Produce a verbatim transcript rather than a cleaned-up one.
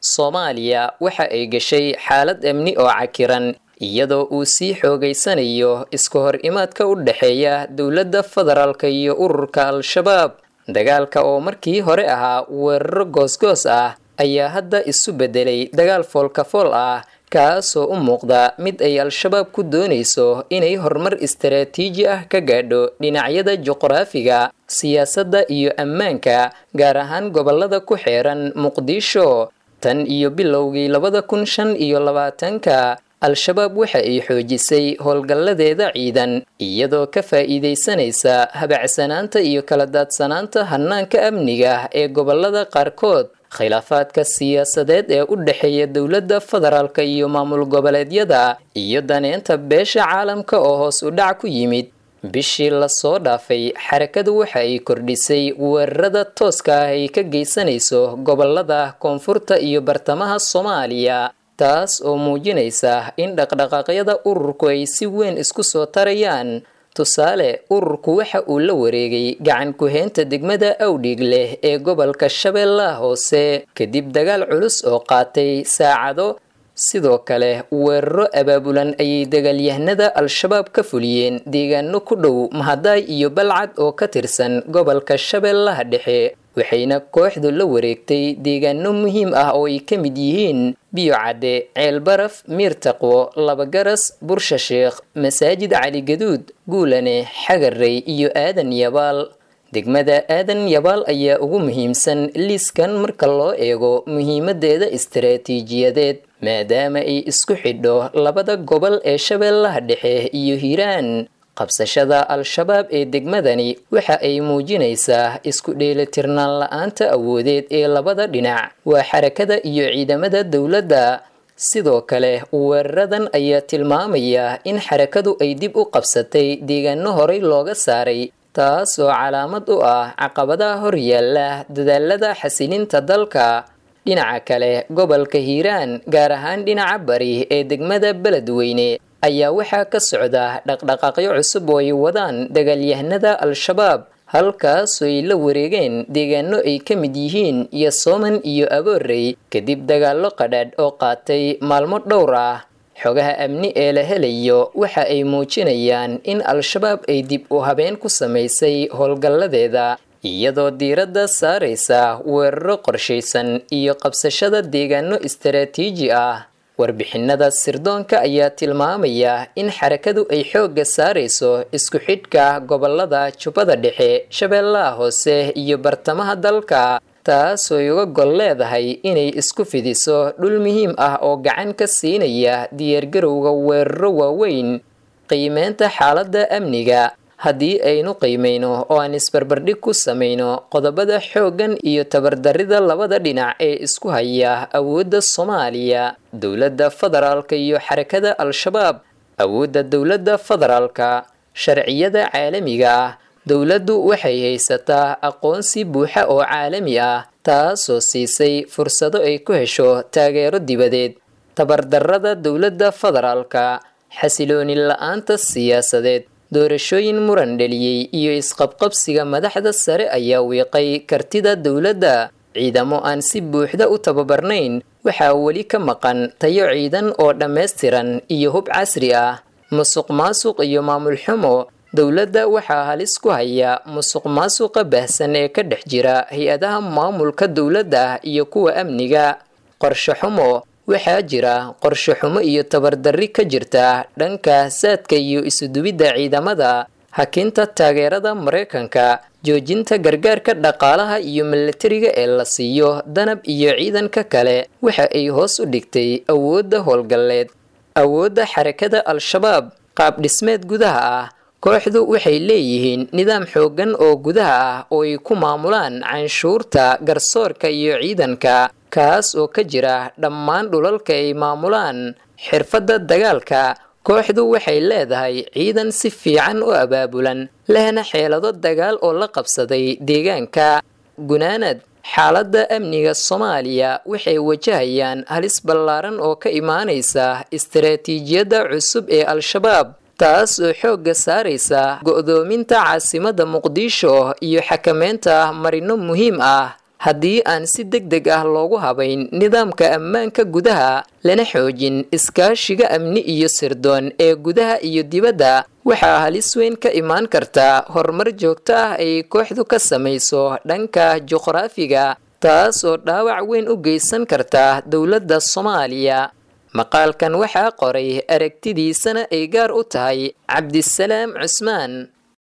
Soomaaliya waxa ay gashay xaalad amni oo cakiran, iyadoo uu sii xoogaysanayo iska hor imaadka u dhexeeya dowladda federaalka iyo ururka Al-Shabaab. Dagaalka oo markii hore ahaa weeraro goosgoos ah ayaa hadda isu beddelay dagaal foolkafool ah, kaasoo u muuqda mid ay Al-Shabaab ku doonayso inay horumar istaraatiiji ah ka gaadho dhinacyada juqraafiga, siyaasadda iyo ammaanka, gaar ahaan gobollada ku xeeran Muqdisho. Tan iyo bilowgii labada kun shan iyo labaatanka, Al-Shabaab waxa ay xoojisay howlgalladeeda ciidan, iyadoo ka faa'iidaysanaysa habacsanaanta iyo kala daadsanaanta hannaanka amniga ee gobollada qaarkood, khilaafaadka siyaasadeed ee u dhexeeya dowladda federaalka iyo maamul goboleedyada, iyo daneynta beesha caalamka oo hoos u dhac ku yimid. Bishii lasoo dhaafay, xarakadu waxa ay kordhisay weerarada tooska ah ay ka geysanayso gobolada koonfurta iyo bartamaha Soomaaliya, taas oo muujinaysa in dhaqdhaqaaqyada ururku ay si weyn isku soo tarayaan. Tusaale, ururku waxa uu la wareegay gacan ku-heynta degmada Awdhig leh ee gobolka Shabeellaha Hoose kadib dagaal culus oo qaatay saacado. Sidoo kale, weeraro abaabulan ayay dagaalyahanada Al-Shabaab ka fuliyeen deegaano ku dhow Mahadaay iyo Balcad oo ka tirsan gobolka Shabeellaha Dhexe, waxayna kooxdu la wareegtay deegaano muhiim ah oo ay ka mid yihiin Biyo Cadde, Ceelbaraf, Miirtaqwo, Labagaras, Bursha Sheekh, Masaajid Cali Gaduud, Guulane, Xagarey iyo Aadan Yabaal. Degmada Aadan Yabaal ayaa ugu muhiimsan liiskan marka loo eego muhiimadeeda istaraatiijiyadeed, maadaama ay isku xidho labada gobol ee Shabeellaha Dhexe iyo Hiiraan. Qabsashada Al-Shabaab ee degmadani waxa ay muujinaysaa isku dheelitirnaan la-aanta awoodeed ee labada dhinac, waa xarakada iyo ciidamada dowladda. Sidoo kale, weeraradan ayaa tilmaamaya in xarakadu ay dib u qabsatay deegaano horey looga saaray, taas oo calaamad u ah caqabadaha hor yaalla dadaalada xasilinta dalka. Dhinaca kale, gobolka Hiiraan, gaar ahaan dhinaca bari ee degmada Beledweyne, ayaa waxaa ka socda dhaqdhaqaaqyo cusub oo ay wadaan dagaalyahanada Al-Shabaab, halkaasoo ay la wareegeen deegaano ay ka mid yihiin Yasooman iyo Aboorey kadib dagaallo qadhaadh oo qaatay maalmo dhowr ah. Xogaha amni ee la helayo waxa ay muujinayaan in Al-Shabaab ay dib u habeen ku samaysay howlgalladeeda, iyadoo diiradda saaraysa weeraro qorshaysan iyo qabsashada deegaano istaraatiiji ah. Warbixinada sirdoonka ayaa tilmaamaya in xarakadu ay xoogga saarayso isku xidhka gobolada Jubbada Dhexe, Shabeellaha Hoose iyo bartamaha dalka, taasoo uga gol leedahay inay isku fidiso dhul muhiim ah oo gacan ka siinaya diyaargarowga weeraro waaweyn. Qiimeynta xaaladda amniga. Haddii aynu qiimeyno oo aan isbarbardhig ku samayno qodobada xooggan iyo tabardarrida labada dhinac ee isku haya awoodda Soomaaliya, dowladda federaalka iyo xarakada Al-Shabaab. Awoodda dowladda federaalka: sharciyada caalamiga ah. Dowladdu waxay haysataa aqoonsi buuxa oo caalami ah, taasoo siisay fursado ay ku hesho taageero dibadeed. Tabardarrada dowladda federaalka: xasilooni la-aanta siyaasadeed, doorashooyin muran dhaliyey iyo isqabqabsiga madaxda sare ayaa wiiqay kartida dowladda. Ciidamo aan si buuxda u tababarnayn, waxaa weli ka maqan tayo ciidan oo dhammaystiran iyo hub casri ah. Musuq maasuq iyo maamul xumo. Dowladda waxaa halis ku haya musuq maasuqa baahsan ee ka dhex jira hay-adaha maamulka dowladda iyo kuwa amniga. Qorshe xumo. Waxaa jira qorshe xumo iyo tabardarri ka jirta dhanka saadka iyo isuduwidda ciidamada. Hakinta taageerada Maraykanka, joojinta gargaarka dhaqaalaha iyo milatariga ee la siiyo Danab iyo ciidanka kale, waxa ay hoos u dhigtay awoodda howlgalleed. Awoodda xarakada Al-Shabaab: qaab dhismeed gudaha ah. Kooxdu waxay leeyihiin nidaam xooggan oo gudaha ah oo ay ku maamulaan canshuurta, garsoorka iyo ciidanka, kaas oo ka jira dhammaan dhulalka ay maamulaan. Xirfadda dagaalka: kooxdu waxay leedahay ciidan si fiican u abaabulan, lehna xeelado dagaal oo la qabsaday deegaanka. Gunaanad: xaaladda amniga Soomaaliya waxay wajahayaan halis ballaaran oo ka imaanaysa istaraatiijiyadda cusub ee Al-Shabaab, taas oo xoogga saaraysa go'doominta caasimadda Muqdisho iyo xakameynta marino muhiim ah. Haddii aan si deg deg ah loogu habayn nidaamka ammaanka gudaha, lana xoojin iskaashiga amni iyo sirdoon ee gudaha iyo dibadda, waxaa halis weyn ka imaan karta horumar joogto ah ay kooxdu ka samayso dhanka juqraafiga, taas oo dhaawac weyn u geysan karta dowladda Soomaaliya. Maqaalkan waxaa qoray, aragtidiisana ay gaar u tahay, Cabdisalaam Cusmaan.